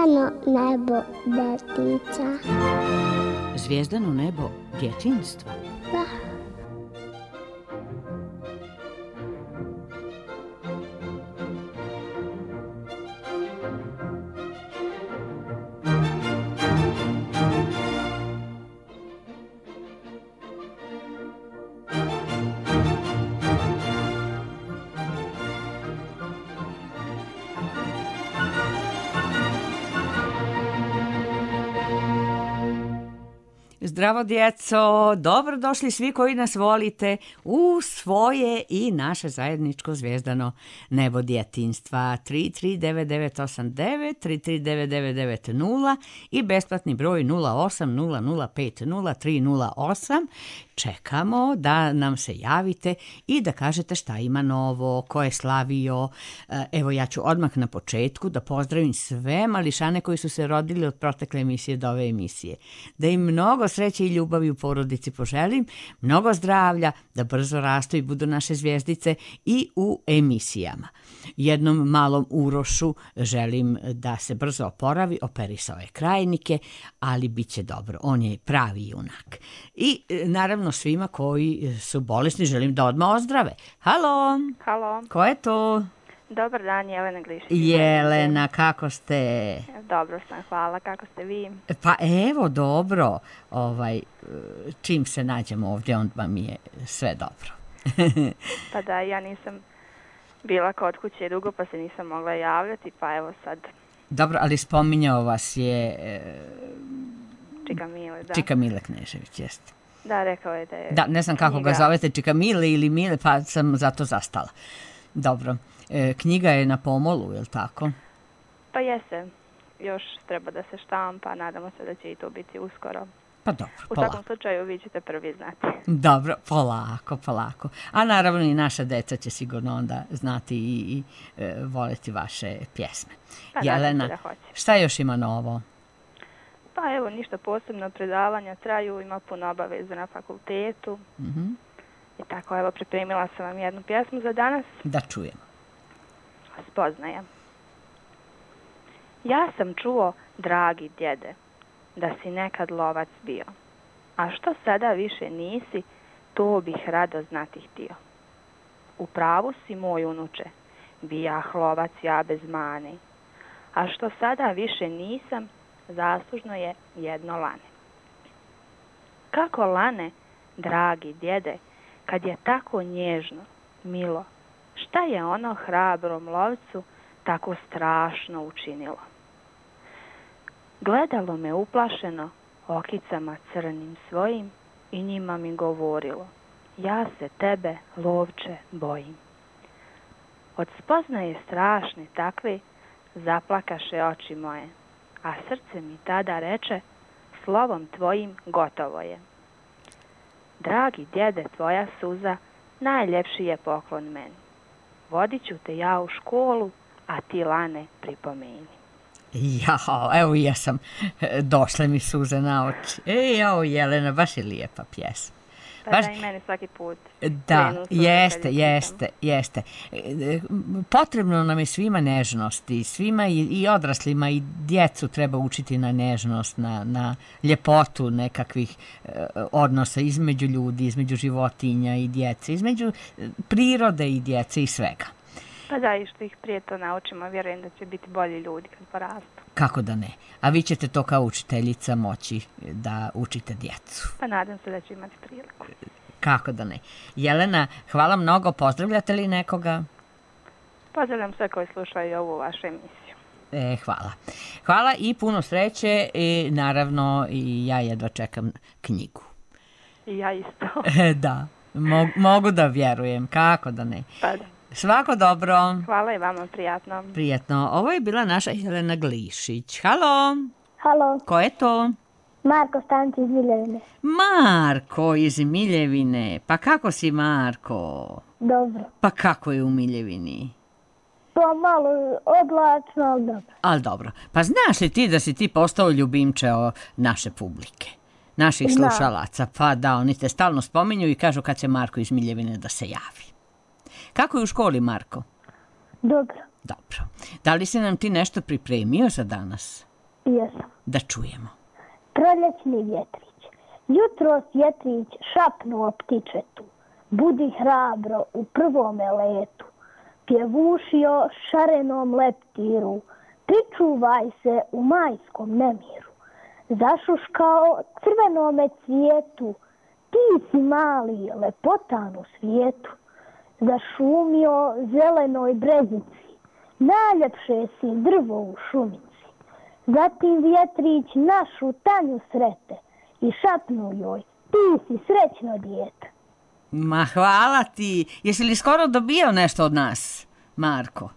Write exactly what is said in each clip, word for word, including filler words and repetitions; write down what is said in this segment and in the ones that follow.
Zvijezdano nebo detinca. Zvijezdano nebo djetinjstva? Da. Zdravo djeco, dobrodošli svi koji nas volite u svoje i naše zajedničko zvijezdano nebo djetinjstva. Tri tri devet devet osam devet, tri tri devet devet devet nula i besplatni broj nula osam nula nula pet nula tri nula osam. Čekamo da nam se javite i da kažete šta ima novo, ko je slavio. Evo, ja ću odmah na početku da pozdravim sve mališane koji su se rodili od protekle emisije do ove emisije. Da im mnogo sreće i ljubavi u porodici poželim, mnogo zdravlja, da brzo rastu i budu naše zvijezdice i u emisijama. Jednom malom Urošu želim da se brzo oporavi, operisao je krajnike, ali bit će dobro, on je pravi junak. I naravno svima koji su bolesni želim da odmah ozdrave. Halo! Halo! Ko je to? Dobar dan, Jelena Glišić. Jelena, kako ste? Dobro sam, hvala. Kako ste vi? Pa evo, dobro. Ovaj, čim se nađemo ovdje, onda mi je sve dobro. Pa da, ja nisam bila kod kuće dugo, pa se nisam mogla javljati, pa evo sad. Dobro, ali spominjao vas je... Čika Mile, da. Čika Mile Knežević, jeste. Da, rekao je da je... Da, ne znam kako knjiga. ga zovete, Čika Mile ili Mile, pa sam zato zastala. Dobro. E, knjiga je na pomolu, je li tako? Pa jeste. Još treba da se štampa, nadamo se da će i to biti uskoro. Pa dobro, U polako. svakom slučaju vi ćete prvi znati. Dobro, polako, polako. A naravno i naša deca će sigurno onda znati i, i e, voleti vaše pjesme. Pa Jelena, da hoće. šta još ima novo? Pa evo, ništa posebno, predavanja traju, ima puno obaveza na fakultetu. Mm-hmm. I tako, evo, pripremila sam vam jednu pjesmu za danas. Da čujemo. Spoznaja. Ja sam čuo, dragi djede, da si nekad lovac bio, a što sada više nisi, to bih rado znati htio. U pravu si, moj unuče, bijah lovac ja bez mane, a što sada više nisam, zaslužno je jedno lane. Kako lane, dragi djede, kad je tako nježno, milo, šta je ono hrabrom lovcu tako strašno učinilo? Gledalo me uplašeno okicama crnim svojim i njima mi govorilo, ja se tebe, lovče, bojim. Od spoznaje strašne takve zaplakaše oči moje, a srce mi tada reče, slovom tvojim gotovo je. Dragi djede, tvoja suza, najljepši je poklon meni. Vodit ću te ja u školu, a ti lane pripomeni. Jao, evo ja sam, došle mi suze na oči. E, jao, Jelena, baš je lijepa pjesma. Pa baš... da i meni svaki put. Da, jeste, jeste, jeste. Potrebno nam je svima nežnosti, svima i, i odraslima i djecu treba učiti na nežnost, na, na ljepotu nekakvih eh, odnosa između ljudi, između životinja i djece, između prirode i djece i svega. Pa da, i što ih prije to naučimo, vjerujem da će biti bolji ljudi kad porastu. Kako da ne? A vi ćete to kao učiteljica moći da učite djecu. Pa nadam se da će imati priliku. Kako da ne? Jelena, hvala mnogo. Pozdravljate li nekoga? Pozdravljam sve koji slušaju ovu vašu emisiju. E, hvala. Hvala i puno sreće i naravno i ja jedva čekam knjigu. I ja isto. Da, mogu, mogu da vjerujem. Kako da ne? Pa da. Svako dobro. Hvala i vama, prijatno. Prijatno. Ovo je bila naša Jelena Glišić. Halo. Halo, Ko je to? Marko Stanci iz Miljevine. Marko iz Miljevine. Pa kako si, Marko? Dobro. Pa kako je u Miljevini? Pa malo oblačno, ali dobro. Ali dobro. Pa znaš li ti da si ti postao ljubimče naše publike? Naših Znam. slušalaca? Pa da, oni te stalno spominju i kažu kad će Marko iz Miljevine da se javi. Kako je u školi, Marko? Dobro. Dobro. Da li si nam ti nešto pripremio za danas? Jesam. Da čujemo. Proljećni vjetrić. Jutros vjetrić šapnuo ptičetu. Budi hrabro u prvome letu. Pjevušio šarenom leptiru. Pričuvaj se u majskom nemiru. Zašuškao crvenome cvijetu. Ti si mali lepotan u svijetu. Zašumio zelenoj brezici. Najljepše si drvo u šumici. Zatim vjetrić našu Tanju srete i šapnu joj, ti si srećno dijete. Ma hvala ti. Jesi li skoro dobio nešto od nas, Marko?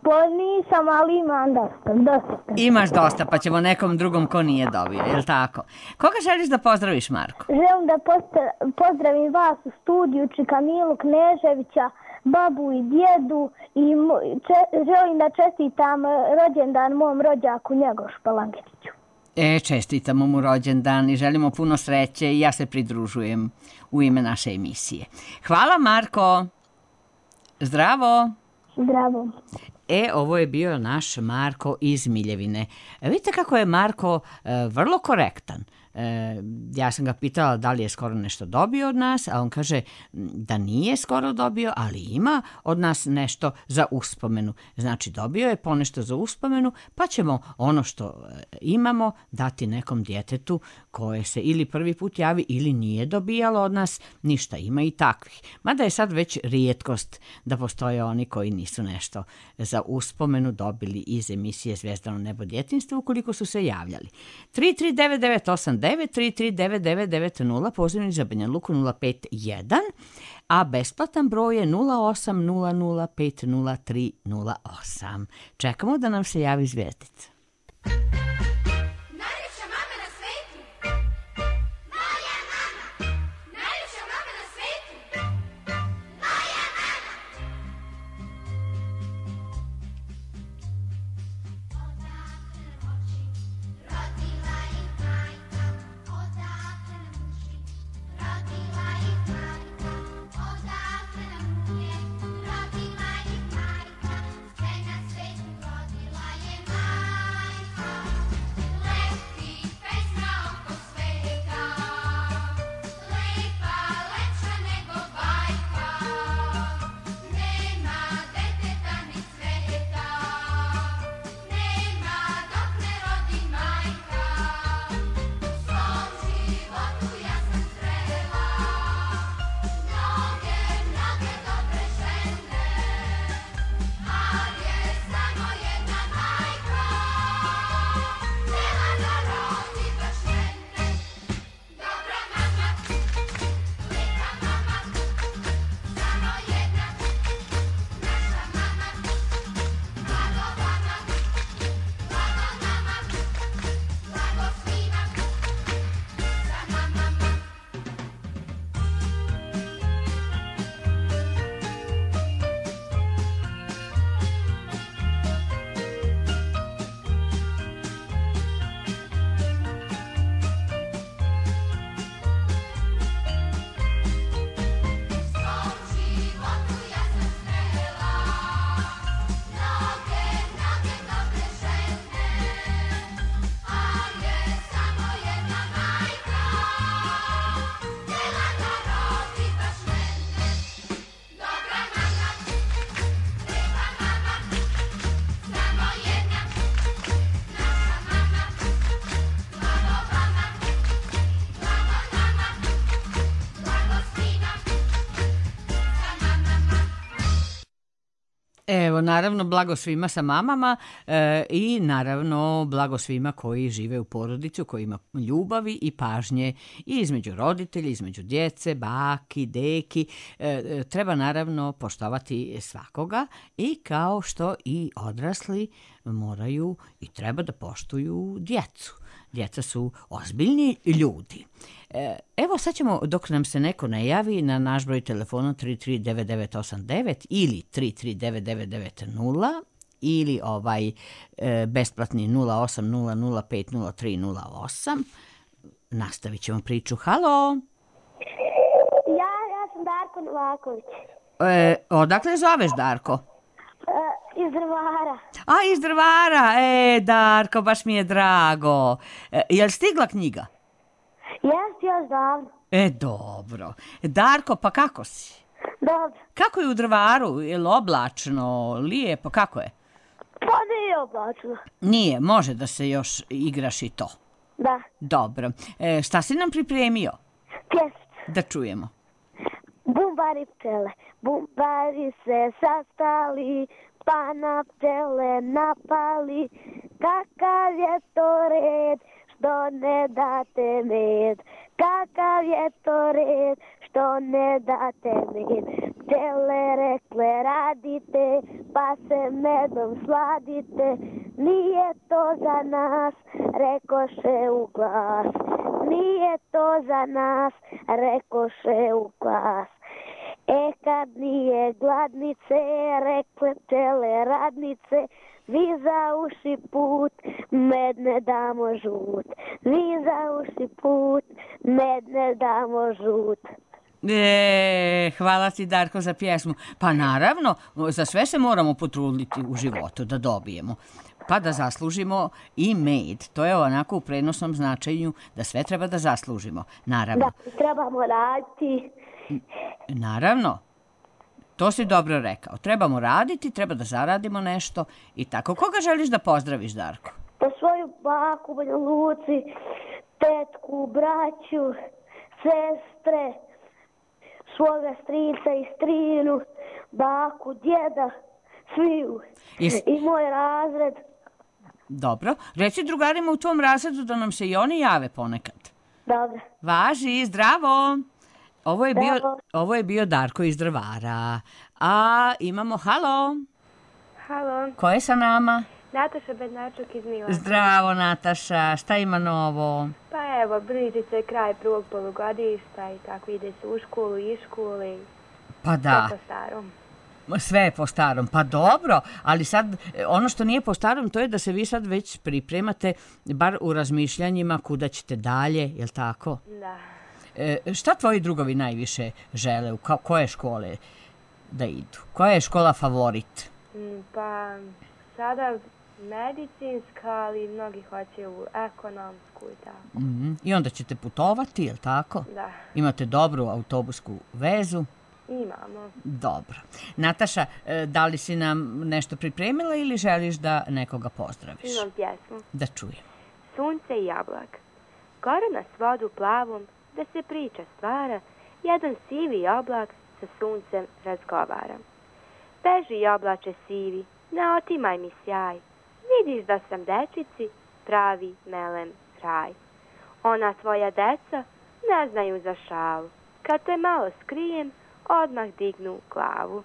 Pa nisam, ali imam dosta, dosta. Imaš dosta, pa ćemo nekom drugom ko nije dobio, je li tako? Koga želiš da pozdraviš, Marko? Želim da posta- pozdravim vas u studiju, čika Milu Kneževića, babu i djedu i mo- če- želim da čestitam rođendan mom rođaku Njegošu Palangetiću. E, čestitamo mu rođendan i želimo puno sreće i ja se pridružujem u ime naše emisije. Hvala, Marko. Zdravo. Zdravo. E, ovo je bio naš Marko iz Miljevine. E, vidite kako je Marko e, vrlo korektan. E, ja sam ga pitala da li je skoro nešto dobio od nas, a on kaže da nije skoro dobio, ali ima od nas nešto za uspomenu. Znači, dobio je ponešto za uspomenu, pa ćemo ono što imamo dati nekom djetetu koje se ili prvi put javi ili nije dobijalo od nas ništa. Ima i takvih. Mada je sad već rijetkost da postoje oni koji nisu nešto za uspomenu dobili iz emisije Zvezdano nebo djetinjstva ukoliko su se javljali. tri tri devet devet osam devet tri tri devet devet devet nula, pozivni za Banja Luku nula pet jedan, a besplatan broj je nula osam nula nula pet nula tri nula osam. Čekamo da nam se javi zvijezdica. Najljepša mama na svetu, moja mama. Najljepša mama na svetu, moja mama. Odakle nam oči, rodila ih majka. Odakle nam uši, rodila ih majka. Odakle nam uvijek, rodila ih majka. Sve na svetu rodila je majka. Leti pesma oko sveta, lepa, lepša nego bajka. Nema deteta ni sveta, nema dok ne rodi majka. U svom životu ja sam srela mnoge, mnoge dobre žene, ali je samo jedna majka htjela da rodi baš mene. Dobra mama, lijepa mama, samo jedna, naša mama. Blago vama, blago nama, blago svima, sama mama. U svom životu ja sam srela mnoge, mnoge dobre žene, ali je samo jedna majka htjela da rodi baš mene. Dobra mama, lijepa mama, samo jedna, naša mama. Blago vama, blago nama, blago svima, sama mama. Evo, naravno, blago svima sa mamama e, i naravno blago svima koji žive u porodici, u kojima ljubavi i pažnje i između roditelja, između djece, baki, deki. E, e, treba naravno poštovati svakoga i kao što i odrasli moraju i treba da poštuju djecu. Djeca su ozbiljni ljudi. E, evo sad ćemo, dok nam se neko ne javi, na naš broj telefona tri tri devet devet osam devet ili tri tri devet devet devet nula ili ovaj e, besplatni nula osam nula nula pet nula tri nula osam. Nastavit ćemo priču. Halo! Ja, ja sam Darko Novaković. E, odakle zoveš, Darko? E, Iz Drvara. A, iz Drvara. E, Darko, baš mi je drago. E, jel stigla knjiga? Jes, još davno. E, dobro. Darko, pa kako si? Dobro. Kako je u Drvaru? Je li oblačno, lijepo, kako je? Pa nije oblačno. Nije, može da se još igraš i to. Da. Dobro. E, šta si nam pripremio? Pjesmicu. Da čujemo. Bumbari pčele, bumbari se sastali, pa na pčele napali. Kakav je to red, što ne date med? Kakav je to red, što ne date med? Pčele rekle radite, pa se medom sladite. Nije to za nas, rekoše u glas. Nije to za nas, rekoše u glas. E kad nije gladnice, rekle pčele radnice, vi za uši put, med ne damo žut. Vi za uši put, med ne damo žut. E, hvala ti, Darko, za pjesmu. Pa naravno, za sve se moramo potruditi u životu da dobijemo. Pa da zaslužimo i med. To je onako u prenosnom značenju da sve treba da zaslužimo. Naravno. Da, trebamo raditi. Naravno. To si dobro rekao. Trebamo raditi, treba da zaradimo nešto i tako. Koga želiš da pozdraviš, Darko? Pa svoju baku u Banja Luci, tetku, braću, sestre, svoga strica i strinu, baku, djeda, sviju. Is- I moj razred. Dobro. Reci drugarima u tvom razredu da nam se i oni jave ponekad. Dobro. Važi, zdravo. Ovo je bio, Zdravo. ovo je bio Darko iz Drvara. A imamo, halo, Halo, ko je sa nama? Nataša Bednačuk iz Milana. Zdravo, Nataša, šta ima novo? Pa evo, bliži se kraj prvog polugodišta i tako ide se u školu i iz škole. Pa da, Po starom. sve je po starom, pa dobro, ali sad e, ono što nije po starom to je da se vi sad već pripremate, bar u razmišljanjima kuda ćete dalje, jel tako? Da. E, šta tvoji drugovi najviše žele, u ko- koje škole da idu? Koja je škola favorit? Mm, Pa sada medicinska, ali mnogi hoće u ekonomsku i tako. Mhm. I onda ćete putovati, jel tako? Da, Imate dobru autobusku vezu? imamo. Dobro. Nataša, e, da li si nam nešto pripremila ili želiš da nekoga pozdraviš? Imam pjesmu. Da čujem. Sunce i jablak. Gore na svodu plavom, da se priča stvara, jedan sivi oblak sa suncem razgovara. Beži oblače sivi, ne otimaj mi sjaj, vidiš da sam dečici pravi melem raj. Ona tvoja deca ne znaju za šalu, kad te malo skrijem, odmah dignu glavu.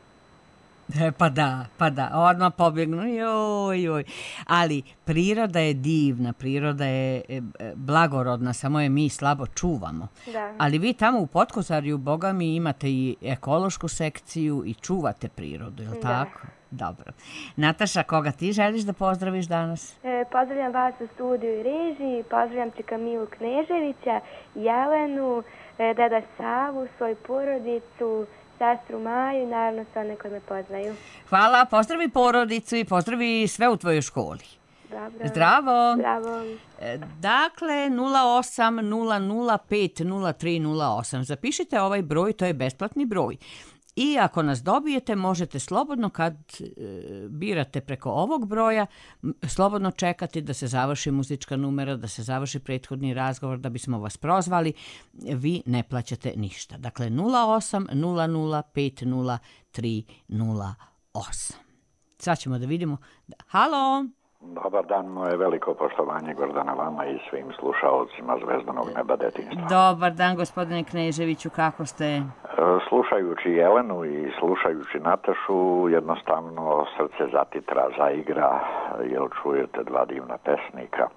E, pa da, pa da, odmah pobjegnu, joj, joj. Ali priroda je divna, priroda je e, e, blagorodna, samo je mi slabo čuvamo. Da. Ali vi tamo u Potkozarju, boga mi, imate i ekološku sekciju i čuvate prirodu, je li Da. tako? Dobro. Nataša, koga ti želiš da pozdraviš danas? E, pozdravljam vas u studiju i režiji, pozdravljam čika Milu Kneževića, Jelenu, e, deda Savu, svoju porodicu, sestru Maju i naravno sve one koji me poznaju. Hvala, pozdravi porodicu i pozdravi sve u tvojoj školi. Dobro. Zdravo. Zdravo. E, Dakle, nula osam nula nula pet nula tri nula osam. Zapišite ovaj broj, to je besplatni broj. I ako nas dobijete, možete slobodno kad e, birate preko ovog broja, m, slobodno čekati da se završi muzička numera, da se završi prethodni razgovor, da bismo vas prozvali. Vi ne plaćate ništa. Dakle, nula osam nula nula pet nula tri nula osam. Sad ćemo da vidimo. Halo? Dobar dan, moje veliko poštovanje Gordana vama i svim slušaocima Zvezdanog neba detinjstva. Dobar dan, gospodine Kneževiću, kako ste? E, Slušajući Jelenu i slušajući Natašu, jednostavno srce zatitra, zaigra, jer čujete dva divna pesnika.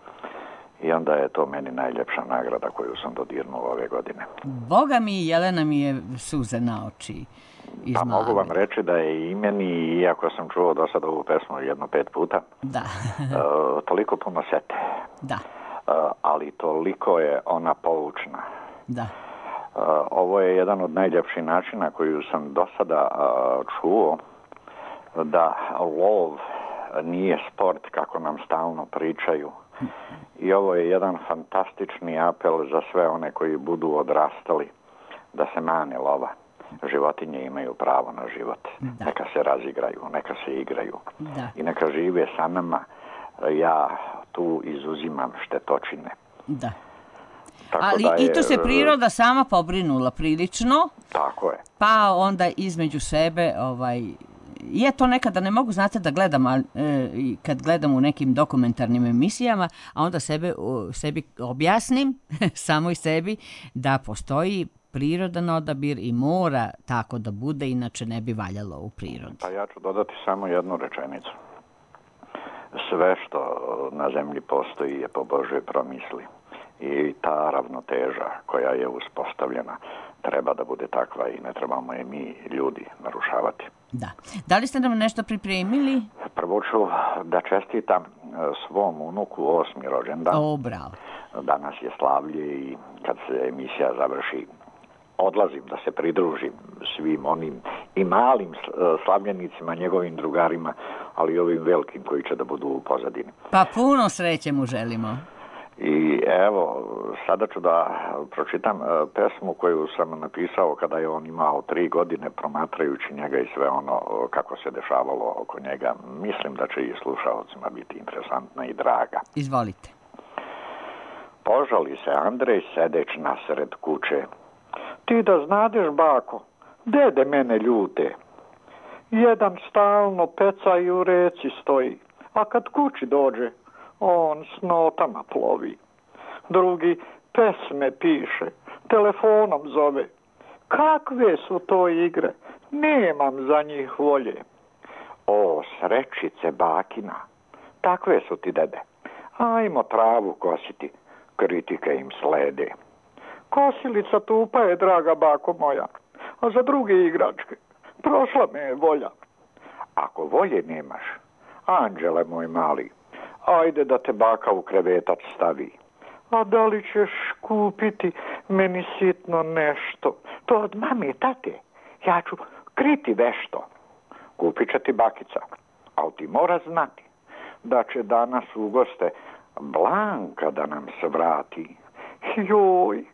I onda je to meni najljepša nagrada koju sam dodirnuo ove godine. Boga mi, Jelena mi je suze na oči Pa izmlavila. mogu vam reći da je i meni, iako sam čuo do sada ovu pesmu jedno pet puta, Da, e, toliko puno sete. da, E, ali toliko je ona poučna. da. Uh, ovo je jedan od najljepših načina koju sam do sada uh, čuo da lov nije sport kako nam stalno pričaju. I ovo je jedan fantastični apel za sve one koji budu odrastali da se mane lova. Životinje imaju pravo na život. Da. Neka se razigraju, neka se igraju. Da. I neka žive sa nama. Ja tu izuzimam štetočine. Da. Tako ali da je, i tu se priroda sama pobrinula prilično. Tako je. Pa onda između sebe ovaj, je to nekada ne mogu, znate, da gledam, ali, e, kad gledam u nekim dokumentarnim emisijama, a onda sebe, o, sebi objasnim, samo i sebi, da postoji prirodan odabir i mora tako da bude, inače ne bi valjalo u prirodi. Pa ja ću dodati samo jednu rečenicu. Sve što na zemlji postoji je po Božoj promisli. I ta ravnoteža koja je uspostavljena treba da bude takva i ne trebamo je mi ljudi narušavati. Da. Da li ste nam nešto pripremili? Prvo ću da čestitam svom unuku osmi rođendan. O, bravo. Danas je slavlje i kad se emisija završi odlazim da se pridružim svim onim i malim slavljenicima, njegovim drugarima, ali i ovim velikim koji će da budu u pozadini. Pa puno sreće mu želimo. I evo, sada ću da pročitam pesmu koju sam napisao kada je on imao tri godine, promatrajući njega i sve ono kako se dešavalo oko njega. Mislim da će i slušalcima biti interesantna i draga. Izvolite. Požali se Andrej sedeć nasred kuće. Ti da znadeš, bako, dede mene ljute. Jedan stalno peca i u reci stoji, a kad kući dođe, on s notama plovi. Drugi pesme piše, telefonom zove. Kakve su to igre, nemam za njih volje. O, srećice bakina, takve su ti, dede. Ajmo travu kositi, kritike im slede. Kosilica tupa je, draga bako moja, a za druge igračke prošla me je volja. Ako volje nemaš, anđele moj mali, ajde da te baka u krevetac stavi. A da li ćeš kupiti meni sitno nešto? To od mame i tate, ja ću kriti vešto. Kupit će ti bakica, ali ti mora znati da će danas u goste Blanka da nam se vrati. Joj,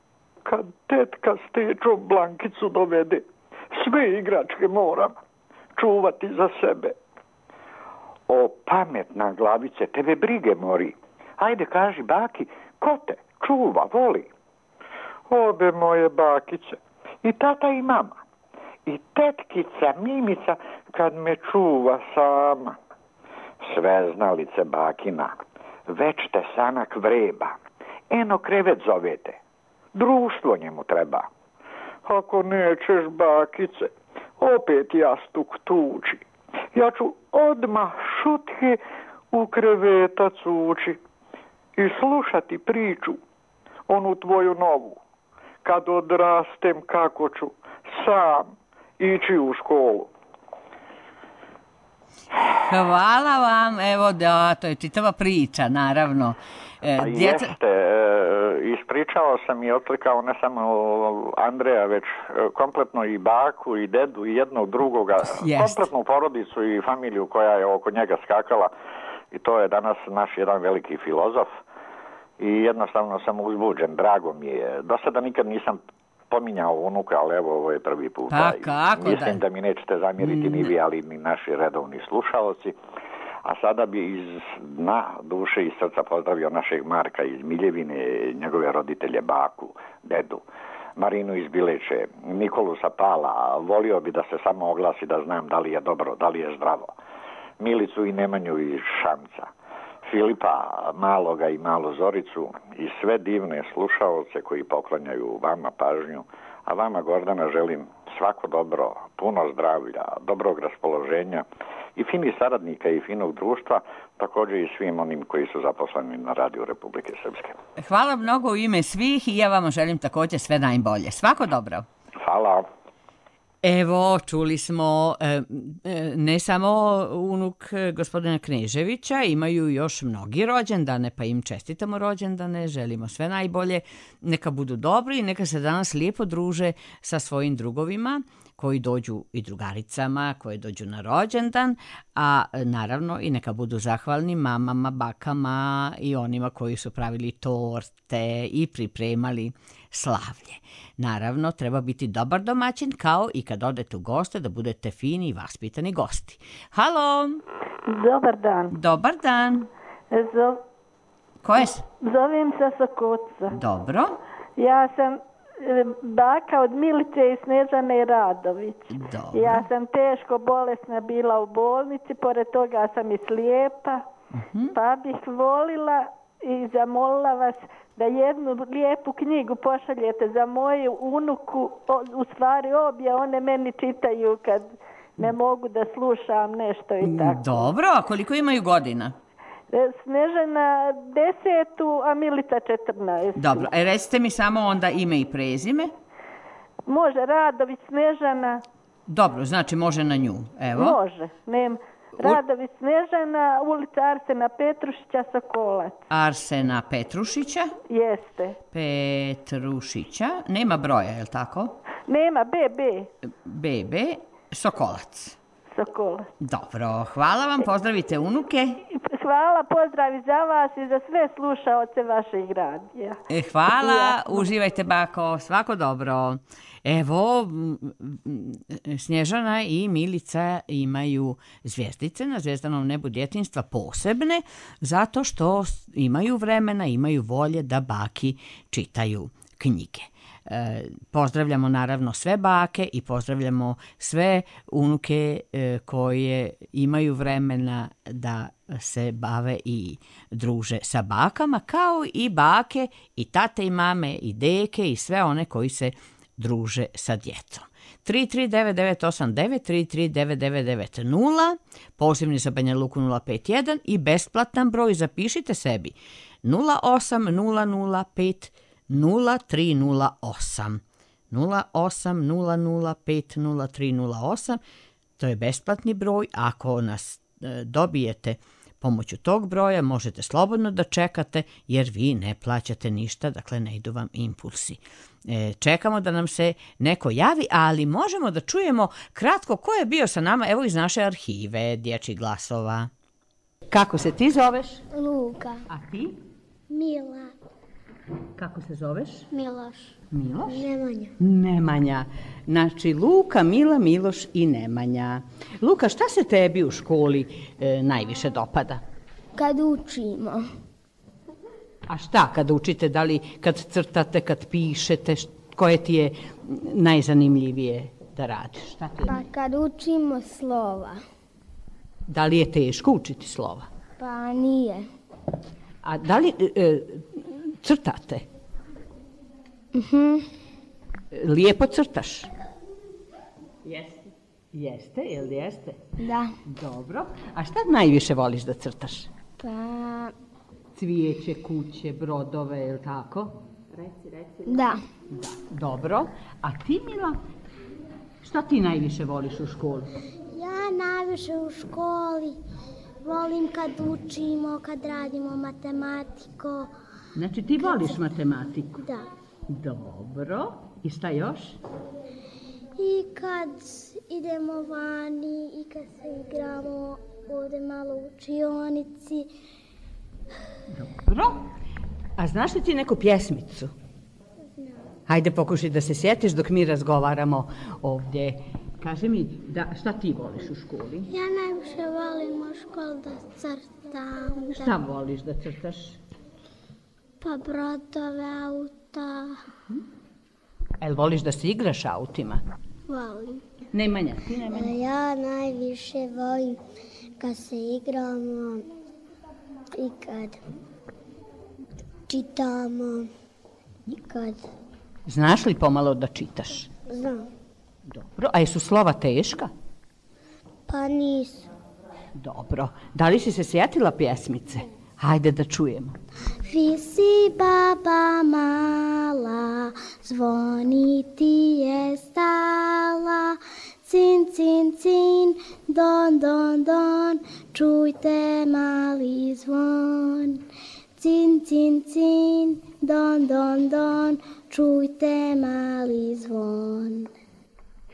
kad tetka stečo Blankicu dovede, sve igračke moram čuvati za sebe. O, pametna glavice, tebe brige mori. Ajde, kaži baki, ko te čuva, voli? Obe moje bakice, i tata i mama, i tetkica Mimica kad me čuva sama. Sve znalice bakina, već te sanak vreba, eno krevet zovete, društvo njemu treba. Ako nećeš, bakice, opet jastuk tuči. Ja ću odmah šutke u krevetac ući i slušati priču, onu tvoju novu. Kad odrastem kako ću sam ići u školu. Hvala vam, evo da, to je čitava priča, naravno. E, djeca... Jeste, e, ispričao sam i otlikao ne samo Andreja, već kompletno i baku i dedu i jednog drugoga, Jest. kompletnu porodicu i familiju koja je oko njega skakala i to je danas naš jedan veliki filozof i jednostavno sam uzbuđen, drago mi je. Do sada nikad nisam pominjao unuka, ali evo ovo je prvi put. Pa kako Mislim da? da mi nećete zamjeriti ni vi, ali ni naši redovni slušalci. A sada bi iz dna duše i srca pozdravio našeg Marka iz Miljevine, njegove roditelje, baku, dedu, Marinu iz Bileće, Nikolu sa Pala, volio bi da se samo oglasi da znam da li je dobro, da li je zdravo, Milicu i Nemanju iz Šamca, Filipa Maloga i Malu Zoricu i sve divne slušaoce koji poklanjaju vama pažnju, a vama, Gordana, želim svako dobro, puno zdravlja, dobrog raspoloženja i finih saradnika i finog društva, također i svim onim koji su zaposleni na radiju Republike Srpske. Hvala mnogo u ime svih i ja vam želim također sve najbolje. Svako dobro. Hvala. Evo, čuli smo e, e, ne samo unuk e, gospodina Kneževića, imaju još mnogi rođendane, pa im čestitamo rođendane, želimo sve najbolje, neka budu dobri i neka se danas lijepo druže sa svojim drugovima koji dođu i drugaricama, koji dođu na rođendan, a naravno i neka budu zahvalni mamama, bakama i onima koji su pravili torte i pripremali slavlje. Naravno, treba biti dobar domaćin, kao i kad odete u goste, da budete fini i vaspitani gosti. Halo! Dobar dan. Dobar dan. Zo... Ko je? s- Zovem se sa Koca. Dobro. Ja sam e, baka od Milice i Snežane Radović. Dobro. Ja sam teško bolesna bila u bolnici, pored toga sam i slijepa, pa bih volila i zamolila vas da jednu lijepu knjigu pošaljete za moju unuku, o, u stvari obje, one meni čitaju kad ne mogu da slušam nešto i tako. Dobro, a koliko imaju godina? E, Snežana desetu, a Milica četrnaest. Dobro, e, recite mi samo onda ime i prezime. Može Radović Snežana, Dobro, znači može na nju. Evo. može. Nem. Radović Snežana, ulica Arsena Petrušića, Sokolac. Arsena Petrušića. Jeste. Petrušića. Nema broja, je li tako? Nema, B B, Bebe Sokolac. Sokolac. Dobro, hvala vam, pozdravite unuke. Hvala, pozdravi za vas i za sve slušaoce vašeg radija. E, Hvala, uživajte bako, svako dobro. Evo, m, m, Snježana i Milica imaju zvjezdice na zvezdanom nebu djetinjstva posebne, zato što s- imaju vremena, imaju volje da baki čitaju knjige. E, pozdravljamo naravno sve bake i pozdravljamo sve unuke e, koje imaju vremena da se bave i druže sa bakama, kao i bake i tate i mame i deke i sve one koji se druže sa djecom. tri tri devet devet osam devet, tri tri devet devet devet nula, pozivni za Banja Luku nula pet jedan i besplatan broj, zapišite sebi nula osam nula nula pet nula tri nula osam. nula osam nula nula pet nula tri nula osam, to je besplatni broj. Ako nas e, dobijete pomoću tog broja, možete slobodno da čekate, jer vi ne plaćate ništa, dakle ne idu vam impulsi. E, čekamo da nam se neko javi, ali možemo da čujemo kratko ko je bio sa nama, evo iz naše arhive dječjih glasova. Kako se ti zoveš? Luka, A ti? Mila, Kako se zoveš? Miloš, Miloš? Nemanja. Nemanja. Znači, Luka, Mila, Miloš i Nemanja. Luka, šta se tebi u školi e, najviše dopada? Kad učimo, A šta kad učite, da li kad crtate, kad pišete, št- koje ti je najzanimljivije da radiš? Šta ti je? pa kad učimo slova, Da li je teško učiti slova? pa nije. A da li e, crtate? Lijepo crtaš? Jeste. Jeste, jel jeste? Da, Dobro. A šta najviše voliš da crtaš? pa Cvijeće, kuće, brodove, je li tako? da, Da. Dobro. A ti, Mila? Šta ti najviše voliš u školi? Ja najviše u školi volim kad učimo, kad radimo matematiku. Znači, ti voliš matematiku? Da. Dobro. I šta još? I kad idemo vani i kad se igramo ovdje malo u učionici. Dobro. A znaš li ti neku pjesmicu? Hajde, pokušaj da se sjetiš dok mi razgovaramo ovdje. Kaži mi, da, šta ti voliš u školi? Ja najviše volim u školi da crtam. Da, Šta voliš da crtaš? pa brodove, auta. El voliš da se igraš autima? Volim. Nemanja, ti Nemanja? Ja najviše volim kad se igramo i kad čitamo i kad Znaš li pomalo da čitaš? znam. Dobro. A jesu slova teška? Pa nisu. Dobro. Da li si se sjetila pjesmice? Hajde da čujemo. Visi baba mala, zvoni ti je stala, cin, cin, don, don, don, čujte mali zvon. Cin, cin, cin, don, don, don, čujte mali zvon.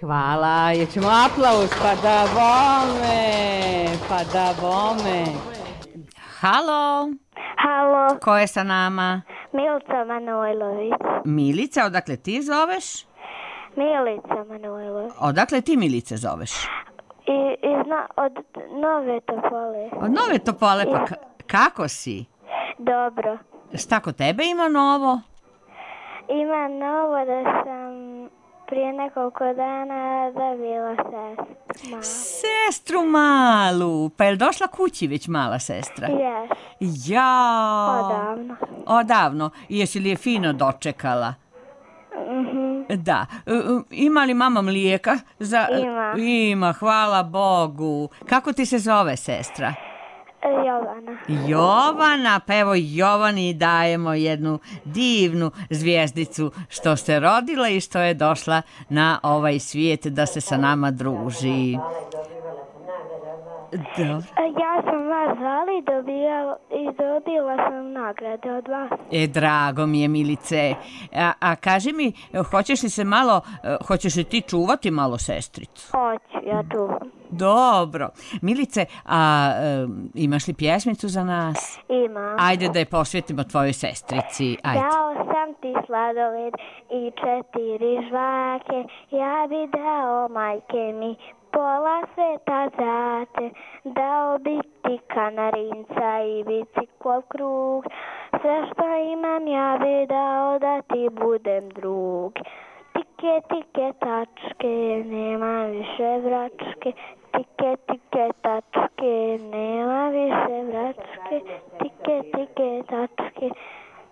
Hvala, jećemo aplauz, pa da bome, pa da bome. Halo, Halo, ko je sa nama? Milica Manojlović. Milica, odakle ti zoveš? Milica Manojlović. Odakle ti Milice zoveš? I, iz na, od Nove Topole. Od Nove Topole, pa ka- kako si? Dobro. Šta kod tebe ima novo? Ima novo da sam prije nekoliko dana dobila sestru. Sestru malu, pa je li došla kući već mala sestra? Jes, Ja. odavno. Odavno. I jesi li je fino dočekala? Mhm. Da. E, e, Ima li mama mlijeka? Za... Ima. Ima, hvala Bogu. Kako ti se zove sestra? Jovana. Jovana, pa evo Jovani dajemo jednu divnu zvijezdicu što se rodila i što je došla na ovaj svijet da se sa nama druži. Dobro. Ja sam vas zvali i dobila, i dobila sam nagrade od vas. E, drago mi je, Milice. A, a kaži mi, hoćeš li se malo, e, hoćeš li ti čuvati malo sestricu? Hoću, ja čuvam. Dobro. Milice, a e, imaš li pjesmicu za nas? Imam. Ajde da je posvetimo tvojoj sestrici. Ajde. Dao sam ti sladoled i četiri žvake, ja bi dao majke mi pola sveta za te. Dao bi ti kanarinca i biciklov krug, sve što imam ja bi dao da ti budem drug. Tike, tike, tačke, nema više vračke, tike, tike, tačke, nema više vračke, tike, tike, tačke,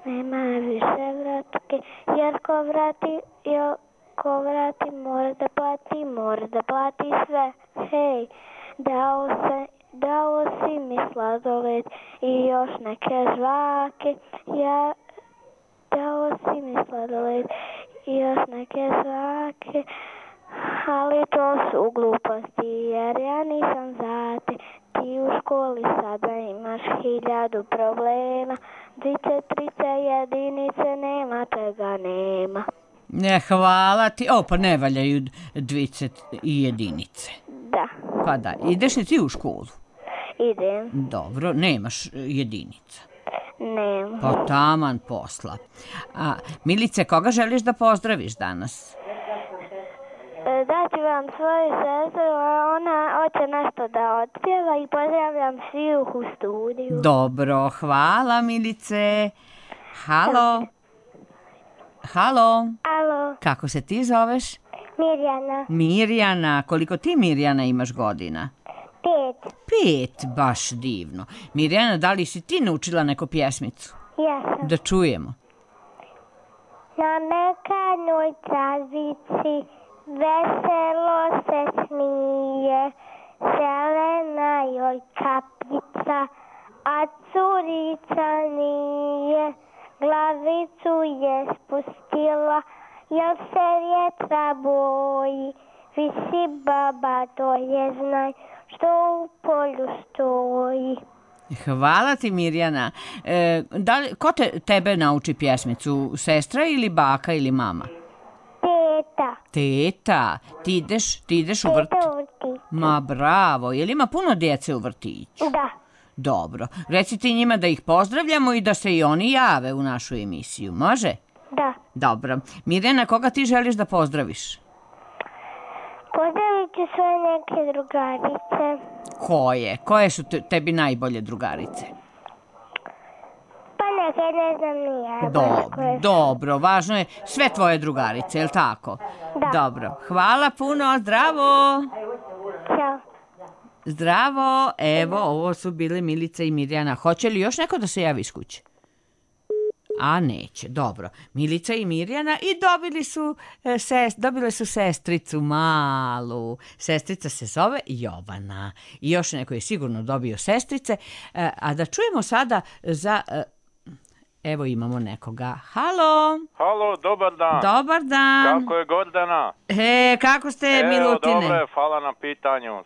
nema više vračke, jer ko vrati, jer ko vrati mora da plati, mora da plati sve, hej, dao se, dao si mi sladoled i još neke žvake, ja, dao si mi sladoled i još neke žvake, ali to su gluposti jer ja nisam za te. Ti u školi sada imaš hiljadu problema, dvice, trice, jedinice, nema čega nema. Ne, hvala ti. O, pa ne valjaju dvice i jedinice. Da, Pa da, ideš li ti u školu? idem, Dobro, nemaš jedinica. nema. Pa taman posla. A, Milice, koga želiš da pozdraviš danas? E, Daću vam svoju sestru, a ona hoće nešto da otpjeva i pozdravljam svih u studiju. Dobro, hvala Milice. Halo. Halo. Alo, Kako se ti zoveš? Mirjana, Mirjana. Koliko ti, Mirjana, imaš godina? pet, Pet, baš divno. Mirjana, da li si ti naučila neku pjesmicu? jesam. Da čujemo. Na mekanoj travici veselo se smije, zelena joj kapica, a curica nije. Glavicu je spustila, jel se vjetra boji, visi baba, to je znaj, što u polju stoji. Hvala ti, Mirjana. E, da li, ko te, tebe nauči pjesmicu? Sestra ili baka ili mama? Teta, Teta. Ti ideš, ti ideš u vrt? teta u vrtiću. Ma bravo. Je li ima puno djece u vrtiću? Da, Dobro. Reci ti njima da ih pozdravljamo i da se i oni jave u našu emisiju. Može? da. Dobro. Mirjana, koga ti želiš da pozdraviš? Pozdravit ću svoje neke drugarice. Koje? Koje su te, tebi najbolje drugarice? Pa neke ne znam ni ja. baš Dobro, koje su. dobro. Važno je sve tvoje drugarice, je li tako? Da. Dobro. Hvala puno. Zdravo. Ćao. Zdravo. Evo, ovo su bile Milica i Mirjana. Hoće li još neko da se javi iz kuće? A neće, dobro. Milica i Mirjana i dobili su, e, sest, dobile su sestricu malu. Sestrica se zove Jovana. I još neko je sigurno dobio sestrice. E, a da čujemo sada za... E, Evo imamo nekoga. Halo. Halo, dobar dan. Dobar dan. Kako je Gordana? E, kako ste, Evo, Milutine? dobro je, hvala na pitanju.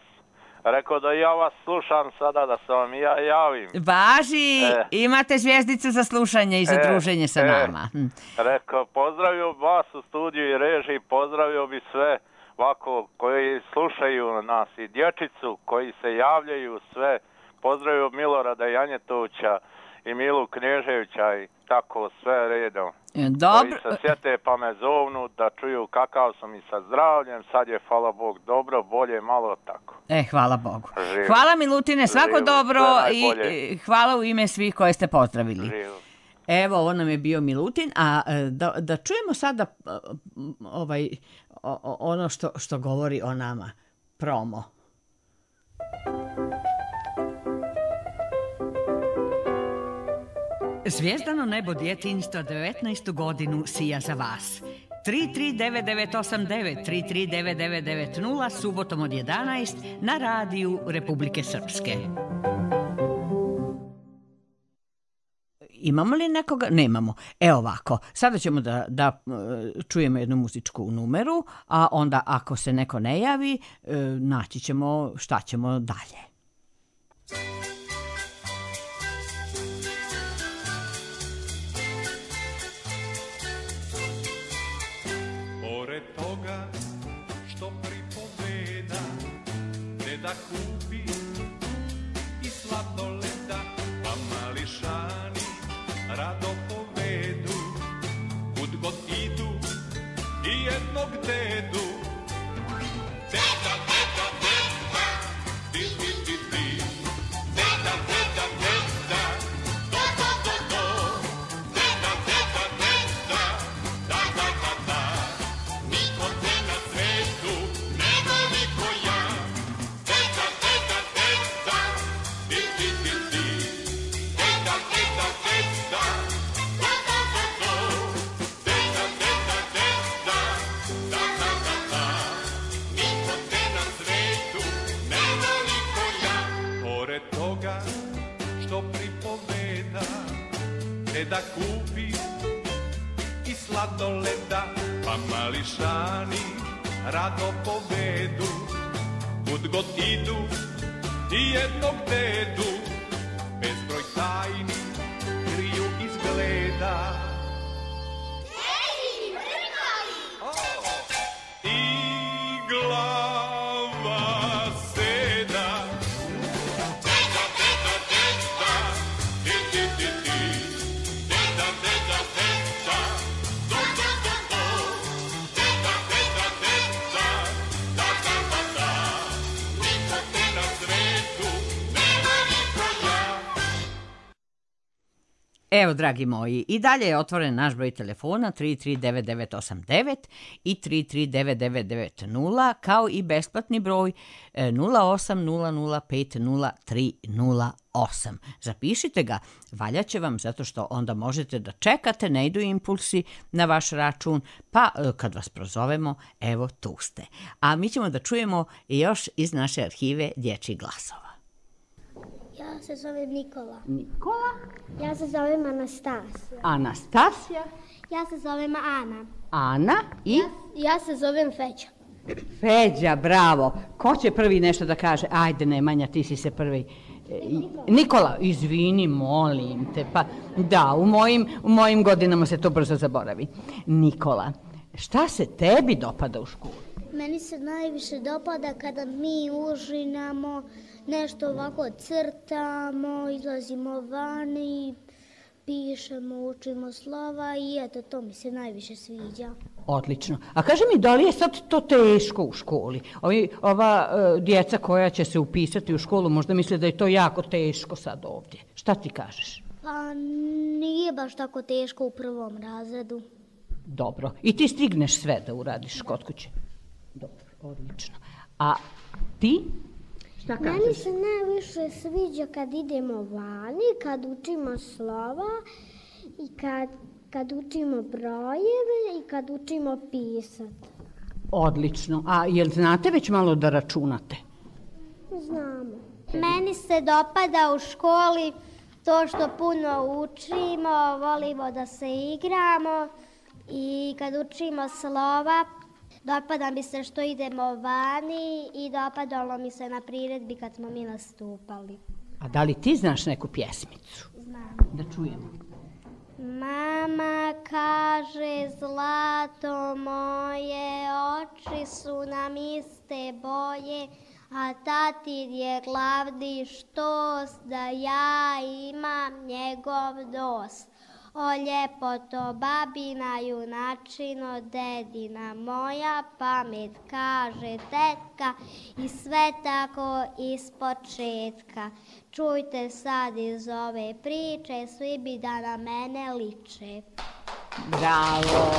Rekao da ja vas slušam sada, da se vam ja javim. Važi, E. imate zvjezdicu za slušanje i za E, druženje sa e. nama. Hm. Rekao, pozdravio vas u studiju i režiji, pozdravio bi sve ovako koji slušaju nas i dječicu, koji se javljaju sve. Pozdravio Milorada Janjetovića i Milu Kneževića i tako sve redom. Dobro. Koji se sjete pa me zovnu da čuju kakav sam i sa zdravljem. Sad je, hvala Bog, dobro, bolje, malo tako. E, hvala Bogu. Živo. Hvala Milutine, svako Živo, dobro sve i najbolje. e, hvala u ime svih koje ste pozdravili. Živo. Evo, ovo nam je bio Milutin, a e, da, da čujemo sada e, ovaj, o- o- ono što, što govori o nama. Promo. Zvijezdano nebo djetinjstva devetnaestu godinu sija za vas. tri tri devet devet osam devet, tri tri devet devet devet nula, subotom od jedanaest na radiju Republike Srpske. Imamo li nekoga? Nemamo. Evo ovako, sada ćemo da, da e, čujemo jednu muzičku numeru, a onda ako se neko ne javi, e, naći ćemo šta ćemo dalje. Pored toga što pripoveda, deda kupi i sladoleda, pa mališani rado povedu, kud god idu i jednog dedu. Deda, deda, deda, di, di, di, di, deda, deda, deda, do, do, do, do, deda, deda, deda, da, da, da, da, niko te na svetu ne voli ko ja. Deda, deda, deda, di, di, di, di, deda, deda, deda, do, do, do, do, deda, deda, deda, da, da, da, da, niko te na svetu ne voli ko ja. Pored toga što pripoveda, deda kupi i sladoleda, pa mališani rado povedu, kud god idu i jednog dedu, bezbroj tajni kriju izgleda. I glava seda. Deda, deda, deda, di, di, di, di, deda, deda, deda, do, do, do, do, deda, deda, deda, da, da, da, da, niko te na svetu ne voli ko ja. Evo, dragi moji, i dalje je otvoren naš broj telefona tri tri devet devet osam devet i tri tri devet devet devet nula, kao i besplatni broj e, nula osam nula nula pet nula tri nula osam. Zapišite ga, valjaće vam zato što onda možete da čekate, ne idu impulsi na vaš račun, pa e, kad vas prozovemo, evo tu ste. A mi ćemo da čujemo još iz naše arhive dječjih glasova. Ja se zovem Nikola. Nikola, Ja se zovem Anastasija. Anastasija, Ja se zovem Ana. Ana i... Ja se zovem Feća. Feđa, bravo. Ko će prvi nešto da kaže? Ajde, Nemanja, ti si se prvi. E, Nikola, izvini, molim te. Pa, da, u mojim, u mojim godinama se to brzo zaboravi. Nikola, šta se tebi dopada u školi? Meni se najviše dopada kada mi užinamo, nešto ovako crtamo, izlazimo vani, pišemo, učimo slova i eto, to mi se najviše sviđa. Odlično. A kaži mi, da li je sad to teško u školi? Ovi, ova e, djeca koja će se upisati u školu možda misle da je to jako teško sad ovdje. Šta ti kažeš? Pa nije baš tako teško u prvom razredu. Dobro. I ti stigneš sve da uradiš kod kuće? Dobro, odlično. A ti? Šta kažeš? Meni se najviše sviđa kad idemo vani, kad učimo slova i kad, kad učimo brojeve i kad učimo pisati. Odlično. A jel znate već malo da računate? Znamo. Meni se dopada u školi To što puno učimo, volimo da se igramo i kad učimo slova, dopada mi se što idemo vani i dopadalo mi se na priredbi kad smo mi nastupali. A da li ti znaš neku pjesmicu? Znam. Da čujemo. Mama kaže, zlato moje, oči su nam iste boje, a tatin je glavni štos, da ja imam njegov dos. O ljepoto babina, junačino dedina, moja pamet kaže tetka i sve tako iz početka. Čujte sad iz ove priče, svi bi da na mene liče. Bravo!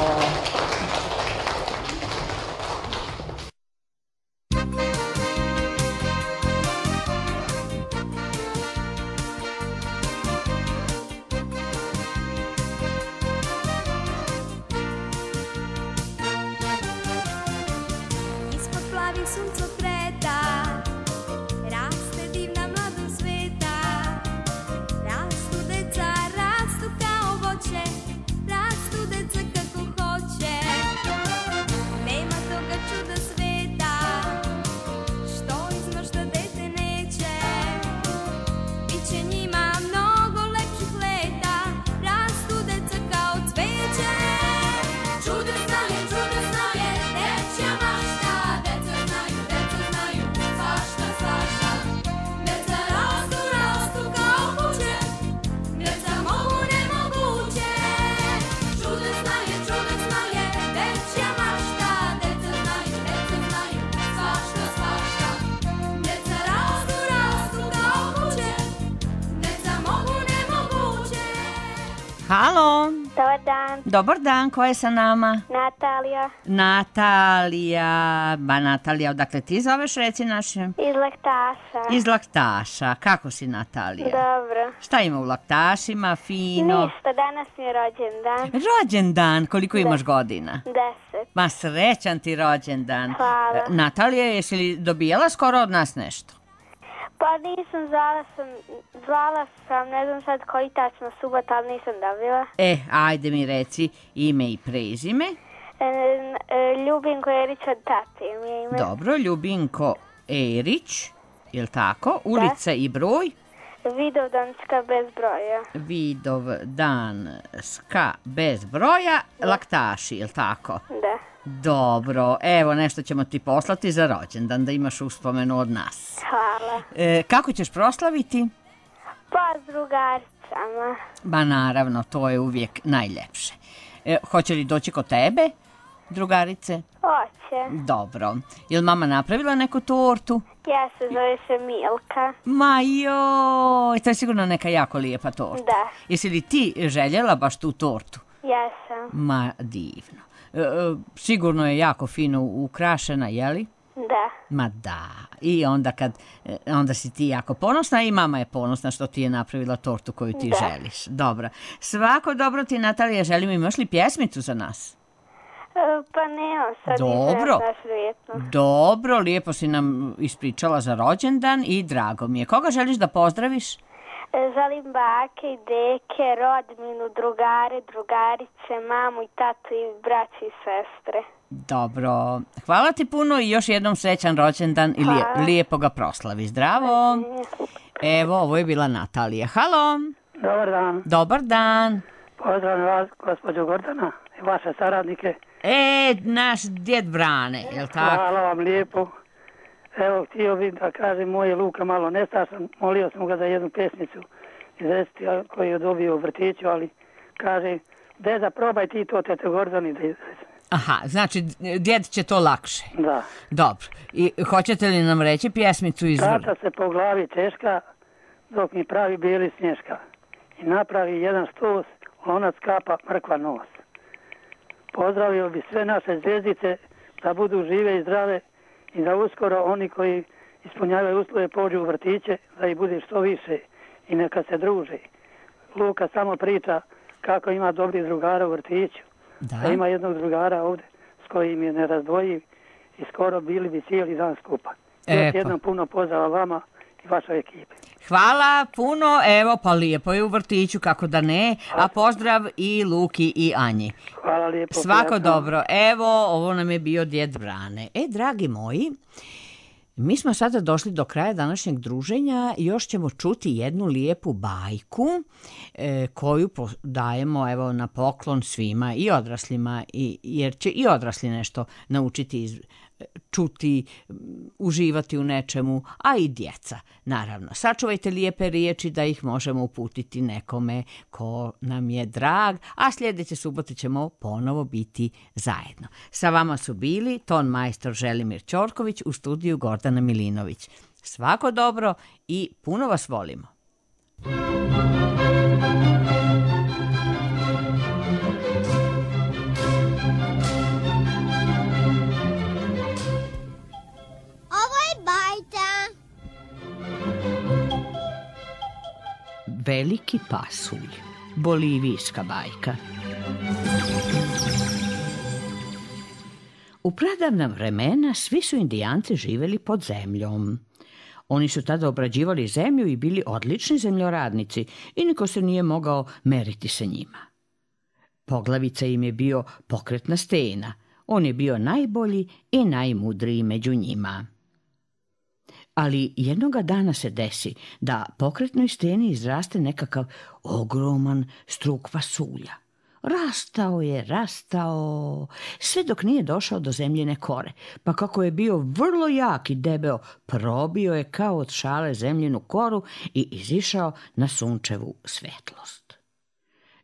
Suncokreta, raste divna mladog sveta, rastu deca, rastu kao voće, rastu deca kako hoće. Nema toga čuda sveta, što izmašta dete neće, biće njima mnogo lepših leta, rastu deca kao cveće. Čudesna je, čudesna je, dečja mašta, Halo. Dobar dan. Dobar dan, ko je sa nama? Natalija. Natalija. Ba Natalija, odakle ti zoveš, reci našem? Iz Laktaša. Iz Laktaša. Kako si, Natalija? Dobro. Šta ima u Laktašima, fino? Ništa, danas mi je rođendan. Rođendan, koliko imaš godina? Deset. Ma srećan ti rođendan. Hvala. Natalija, jesi li dobijala skoro od nas nešto? Pa nisam, zvala sam, zvala sam, ne znam sad koji tačno subot, ali nisam dobila. E, ajde mi reci ime i prezime. E, e, Ljubinko Erić od tate mi je ime. Dobro, Ljubinko Erić, jel tako? Ulica i broj? Vidovdanska bez broja. Vidovdanska bez broja, Laktaši, jel tako? Da. Dobro, evo nešto ćemo ti poslati za rođendan, da imaš uspomenu od nas. Hvala. E, kako ćeš proslaviti? Pa s drugaricama. Ba naravno, to je uvijek najljepše. E, hoće li doći kod tebe, drugarice? Hoće. Dobro. Je li mama napravila neku tortu? Ja se zove se Milka. Ma joj, to je sigurno neka jako lijepa torta. Da. Jesi li ti željela baš tu tortu? Jesam. Ma divno. E, sigurno je jako fino ukrašena, jeli? Da. Ma da. I onda kad, onda si ti jako ponosna i mama je ponosna što ti je napravila tortu koju ti da. želiš. Dobro. Svako dobro ti, Natalija, želim. Imaš li pjesmicu za nas? E, pa nemam sad. Dobro. Dobro, lijepo si nam ispričala za rođendan i drago mi je. Koga želiš da pozdraviš? Želim bake i deke, rodbinu, drugare, drugarice, mamu i tatu i braći i sestre. Dobro. Hvala ti puno i još jednom srećan rođendan i lije, lijepo ga proslavi. Zdravo. Evo, ovo je bila Natalija. Halo. Dobar dan. Dobar dan. Pozdravim vas, gospođo Gordana i vaše saradnike. E, naš djed Brane, jel tako? Hvala vam lijepo. Evo, htio bih da kažem, moje Luka malo nestašan, molio sam ga za jednu pesmicu izvesti koju je dobio u vrtiću, ali kaže, deda, probaj ti to, tete Gordani, da izvesti. Aha, znači djed će to lakše. Da. Dobro. I hoćete li nam reći pjesmicu iz... Tata se po glavi češka, dok mi pravi bijeli snješka. I napravi jedan stos, lonac kapa, mrkva nos. Pozdravio bi sve naše zvijezdice da budu žive i zdrave i da uskoro oni koji ispunjavaju uslove pođu u vrtiće, da ih bude što više i neka se druže. Luka samo priča kako ima dobrih drugara u vrtiću. Da. Da ima jednog drugara ovdje s kojim je nerazdvojiv i skoro bili bi cijeli dan skupa. E, Još jednom puno pozdrava vama i vašoj ekipi. Hvala puno, evo pa lijepo je u vrtiću, kako da ne, a pozdrav i Luki i Anji. Hvala lijepo. Svako prijatno. dobro, evo ovo nam je bio djed Brane. E, dragi moji, mi smo sada došli do kraja današnjeg druženja, još ćemo čuti jednu lijepu bajku e, koju po- dajemo evo na poklon svima i odraslima, i, jer će i odrasli nešto naučiti iz čuti, m, uživati u nečemu, a i djeca, naravno. Sačuvajte lijepe riječi da ih možemo uputiti nekome ko nam je drag, a sljedeće subote ćemo ponovo biti zajedno. Sa vama su bili ton majstor Želimir Ćorković, u studiju Gordana Milinović. Svako dobro i puno vas volimo. Ovo je bajta. Veliki pasulj, bolivijska bajka. U pradavna vremena svi su Indijanci živjeli pod zemljom. Oni su tada obrađivali zemlju i bili odlični zemljoradnici i niko se nije mogao meriti sa njima. Poglavica im je bio pokretna stena. On je bio najbolji i najmudriji među njima. Ali jednoga dana se desi da pokretnoj steni izraste nekakav ogroman struk pasulja. Rastao je, rastao, sve dok nije došao do zemljine kore, pa kako je bio vrlo jak i debeo, probio je kao od šale zemljinu koru i izišao na sunčevu svetlost.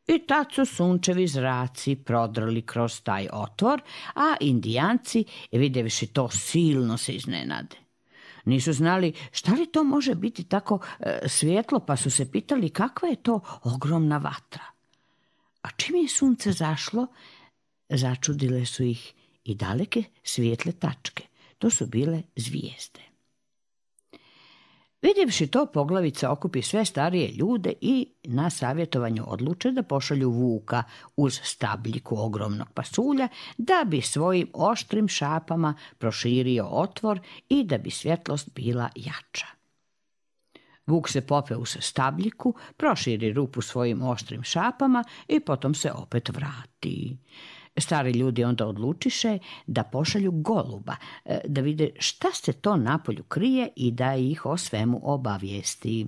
I tad su sunčevi zraci prodrli kroz taj otvor, a Indijanci, vidjevši to, silno se iznenade. Nisu znali šta li to može biti tako e, svjetlo, pa su se pitali kakva je to ogromna vatra. A čim je sunce zašlo, začudile su ih i daleke svijetle tačke. To su bile zvijezde. Vidjevši to, poglavica okupi sve starije ljude i na savjetovanju odluče da pošalju vuka uz stabljiku ogromnog pasulja da bi svojim oštrim šapama proširio otvor i da bi svjetlost bila jača. Vuk se popeo uz stabljiku, proširi rupu svojim oštrim šapama i potom se opet vrati. Stari ljudi onda odlučiše da pošalju goluba, e, da vide šta se to napolju krije i da ih o svemu obavijesti.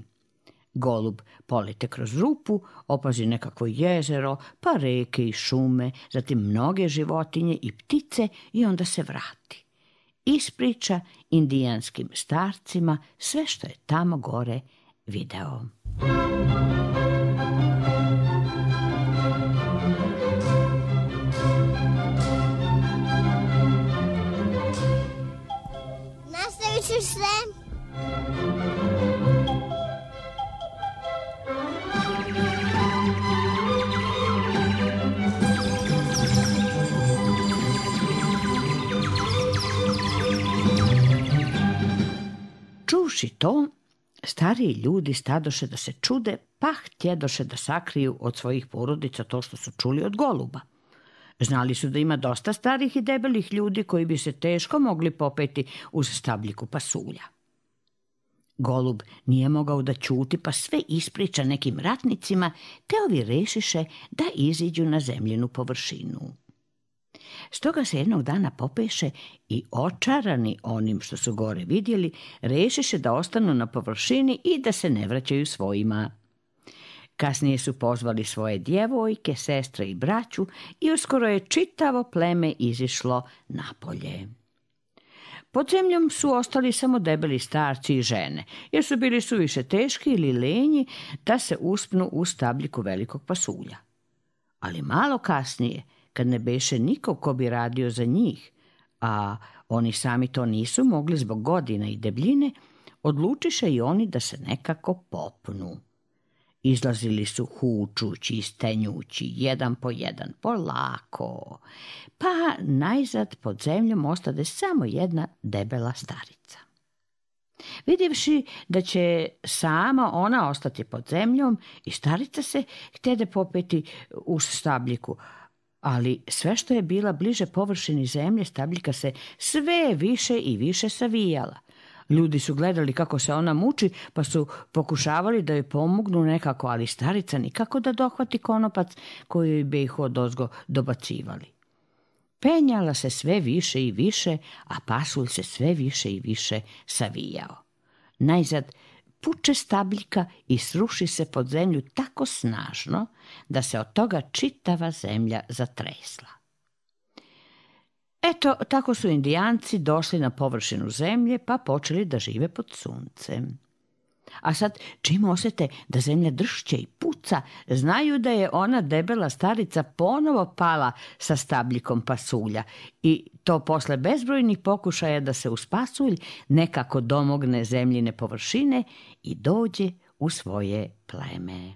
Golub polete kroz rupu, opazi nekakvo jezero, pa reke i šume, zatim mnoge životinje i ptice i onda se vrati. Ispriča indijanskim starcima sve što je tamo gore video. Nastavit ću sve. Čuvši to, stariji ljudi stadoše da se čude, pa htjedoše da sakriju od svojih porodica to što su čuli od goluba. Znali su da ima dosta starih i debelih ljudi koji bi se teško mogli popeti uz stabljiku pasulja. Golub nije mogao da ćuti, pa sve ispriča nekim ratnicima, te ovi rešiše da iziđu na zemljinu površinu. Stoga se jednog dana popeše i očarani onim što su gore vidjeli, rešiše da ostanu na površini i da se ne vraćaju svojima. Kasnije su pozvali svoje djevojke, sestre i braću i uskoro je čitavo pleme izišlo napolje. Pod zemljom su ostali samo debeli starci i žene, jer su bili suviše teški ili lenji da se uspnu u stabljiku velikog pasulja. Ali malo kasnije, kad ne beše nikog ko bi radio za njih, a oni sami to nisu mogli zbog godina i debljine, odlučiše i oni da se nekako popnu. Izlazili su hučući i stenjući, jedan po jedan, polako, pa najzad pod zemljom ostade samo jedna debela starica. Vidjevši da će sama ona ostati pod zemljom, i starica se htjede popeti uz stabljiku, ali sve što je bila bliže površini zemlje, stabljika se sve više i više savijala, Ljudi su gledali kako se ona muči, pa su pokušavali da joj pomognu nekako, ali starica nikako da dohvati konopac koji bi ih odozgo dobacivali. Penjala se sve više i više, a pasulj se sve više i više savijao. Najzad puče stabljika i sruši se pod zemlju tako snažno da se od toga čitava zemlja zatresla. Eto, tako su Indijanci došli na površinu zemlje pa počeli da žive pod suncem. A sad, čim osjete da zemlja dršće i puca, znaju da je ona debela starica ponovo pala sa stabljikom pasulja i to posle bezbrojnih pokušaja da se uz pasulj nekako domogne zemljine površine i dođe u svoje pleme.